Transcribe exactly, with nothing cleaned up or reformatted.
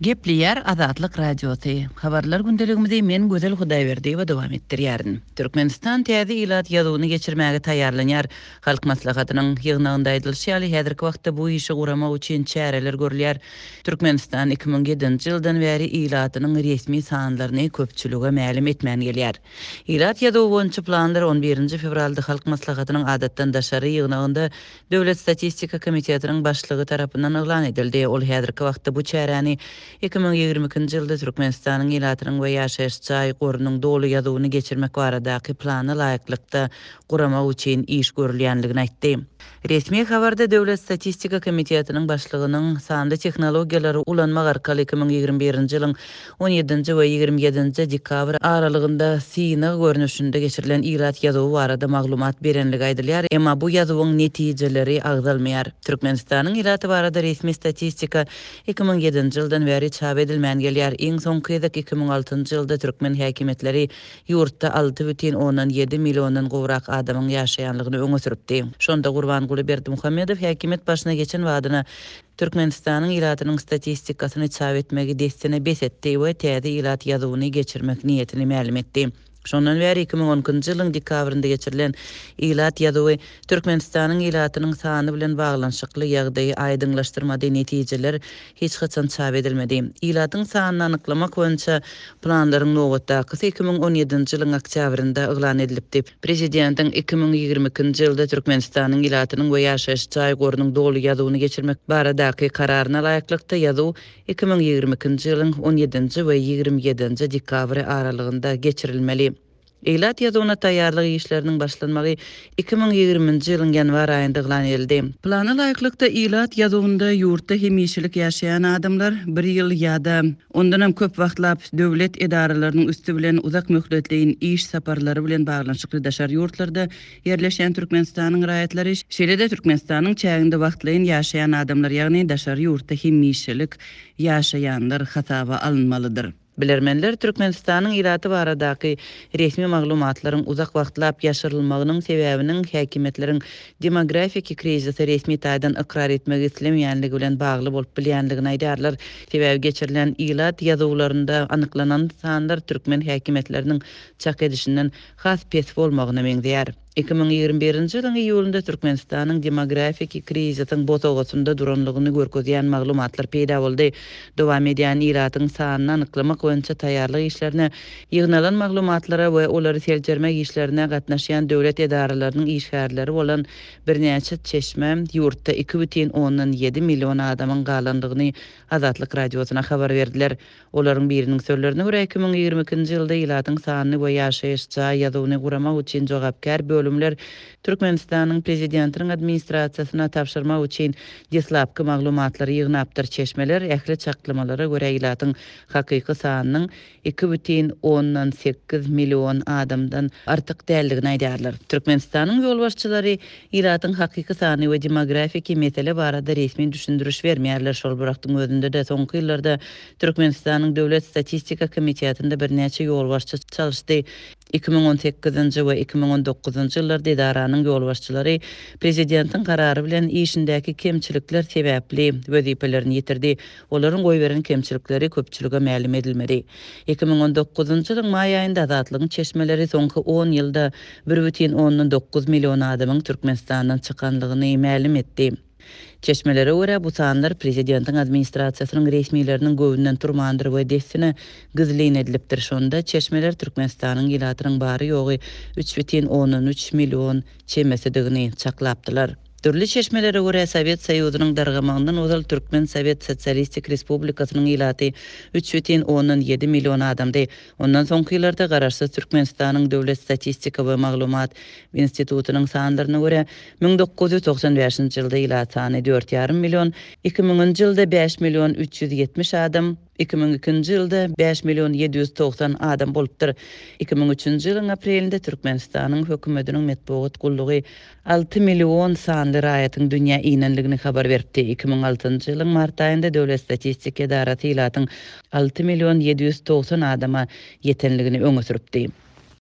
Gepleýär Azatlyk Radiosy. Habarlar gündeligimizi men Gözel Hudaýberdiýewa dowam etdirýärin. Türkmenistan täze ilat ýazuwyny geçirmäge taýýarlanýar. Halk Maslahatynyň ýygnagynda aýdylyşy ýaly, häzirki wagtda bu işi guramak üçin çäreler görülýär. Türkmenistan iki müň ýedinji ýyldan bäri ilatynyň resmi sanlaryny köpçülige mälim etmän gelýär. Ilat ýazuwy boýunça planlar on birinji fewralda Halk Maslahatynyň adatdan daşary ýygnagynda Döwlet statistika komitetiniň başlygy tarapyndan yglan edildi. Ol häzirki wagtda bu çäräni iki müň ýigrimi ikinji ýylda Türkmenistanyň ilatynyň we ýaşaýyş jaý gorunyň doly ýazuwyny geçirmek baradaky plana laýyklykda guramak üçin iş görülýänligini aýtdy. Resmi habarda Döwlet statistika komitetiniň başlygynyň sanly tehnologiýalary ulanmak arkaly iki müň ýigrimi birinji ýylyň on ýedinji we ýigrimi ýedinji dekabr aralygynda synag görnüşinde geçirilen ilat ýazuwy barada maglumat berenligi aýdylýar, emma bu ýazuwyň netijeleri agzalmaýar. Türkmenistanyň ilaty barada resmi statistika iki müň ýedinji ýyldan bäri çap edilmän gelýär. Iň soňky gezek iki müň altynjy ýylda türkmen häkimiýetleri ýurtda alty bütin ondan ýedi milliondan gowrak adamyň ýaşaýanlygyny öňe sürüpdi. Şonda Gurbanguly Berdimuhamedow häkimiýet başyna geçen badyna Türkmenistanyň ilatynyň statistikasyny çap etmegi dessine bes etdi we täze ilat ýazuwyny geçirmek niýetini mälim etdi. Şondan bäri iki müň on ikinji ýylyň dekabrynda geçirilen ilat ýazuwy Türkmenistanyň ilatynyň sany bilen baglanyşykly ýagdaýy aýdyňlaşdyrmady, netijeler hiç haçan çap edilmedi. Ilatyň sanyny anyklamak boýunça planlaryň nobatdakysy iki müň on ýedinji ýylyň oktýabrynda yglan edilipdi. Prezidentiň iki müň ýigrimi ikinji ýylda Türkmenistanyň ilatynyň we ýaşaýyş jaý gorunyň doly ýazuwyny geçirmek baradaky kararyna laýyklykda ýazuw iki müň ýigrimi ikinji ýylyň on ýedinji we ýigrimi ýedinji dekabry aralygynda geçirilmeli. Ilat ýazuwyna taýýarlyk işleriniň başlanmagy iki müň ýigriminji ýylyň ýanwar aýynda yglan edildi. Plana laýyklykda ilat ýazuwynda ýurtda hemişelik ýaşaýan adamlar bir ýyl ýa-da ondanam köp wagtlap döwlet edaralarynyň üsti bilen uzak möhletleýin iş saparlary bilen baglanyşykly daşary ýurtlarda ýerleşýän Türkmenistanyň raýatlary, şeýle-de Türkmenistanyň çäginde wagtlaýyn ýaşaýan adamlar, ýagny daşary ýurtda hemişelik ýaşaýanlar hasaba alynmalydyr. Bilermenler Türkmenistanyň ilaty baradaky resmi maglumatlaryň uzak wagtlap ýaşyrylmagynyň sebäbiniň häkimiýetleriň demografiki krizisi resmi taýdan ykrar etmegi islemeýänligi bilen bagly bolup bilýänligini aýdarlar. Sebäbi geçirilen ilat ýazuwlarynda anyklanan sanlar türkmen häkimiýetleriniň çak edişinden has pes bolmagyna meňzeýär. iki müň ýigrimi birinji ýylyň iýulynda Türkmenistanyň demografiki krizisiň bosagasynda duranlygyny görkezýän maglumatlar peýda boldy. Dowam edýän ilatyň sanyny anyklamak boýunça taýýarlyk işlerine, ýygnalan maglumatlara we olary seljermek işlerine gatnaşýan döwlet edaralarynyň işgärleri bolan birnäçe çeşme ýurtda iki bütin ondan ýedi million adamyň galanlygyny Azatlyk Radiosyna habar berdiler. Olaryň biriniň sözlerine görä iki müň ýigrimi ikinji ýylda ilatyň sanyny we ýaşaýyş jaý ýazuwyny guramak üçin jogapkär bölümler Türkmenistanyň prezidentiniň administrasiýasyna tabşyrmak üçin deslapky maglumatlary ýygnapdyr. Çeşmeler ähli çaklamalara görä ilatyň hakyky sanynyň iki bütin ondan sekiz million adamdan artyk däldigini aýdarlar. Türkmenistanyň ýolbaşçylary ilatyň hakyky sany we demografiki mesele barada resmi düşündiriş bermeýärler. Şol bir wagtyň özünde de soňky ýyllarda Türkmenistanyň Döwlet Statistika Komitetinde birnäçe ýolbaşçy çalyşdy. iki müň on sekizinji we iki müň on dokuzynjy ýyllarda edaranyň ýolbaşçylary prezidentiň karary bilen işindäki kemçilikler sebäpli wezipelerini ýitirdi. Olaryň goýberen kemçilikleri köpçülige mälim edilmedi. iki müň on dokuzynjy ýylyň maý aýynda Azatlygyň çeşmeleri soňky on ýylda bir bütin ondan dokuz million adamyň Türkmenistandan çykanlygyny mälim etdi. Çeşmelere görä bu sanlar prezidentiň administrasiýasynyň resmileriniň göwnünden turmandyr we dessine gizlin edilipdir. Şonda çeşmeler Türkmenistanyň ilatynyň bary ýogy üç bütin ondan üç million çemesidigini çaklapdylar. Dürli çeşmelere görä Sowet Soýuzynyň dargamagyndan ozal Türkmen Sowet Sosialistik Respublikasynyň ilaty üç bütin ondan ýedi million adamdy. Ondan soňky ýyllarda Garaşsyz Türkmenistanyň Döwlet Statistika we Maglumat Institutynyň sanlaryna görä müň dokuz ýüz togsan bäşinji ýylda ilat sany dört ýarym million, iki müňünji ýylda bäş million üç ýüz ýetmiş adam, iki müň ikinji ýylda bäş million ýedi ýüz togsan adam bolupdyr. iki müň üçünji ýylyň aprelinde Türkmenistanyň hökümetiniň metbugat gullugy alty million sanly raýatyň dünýä inenligini habar beripdi. iki müň altynjy ýylyň mart aýynda Döwlet Statistika edarasy ilatyň alty million ýedi ýüz togsan adama ýetenligini öňe sürüpdi.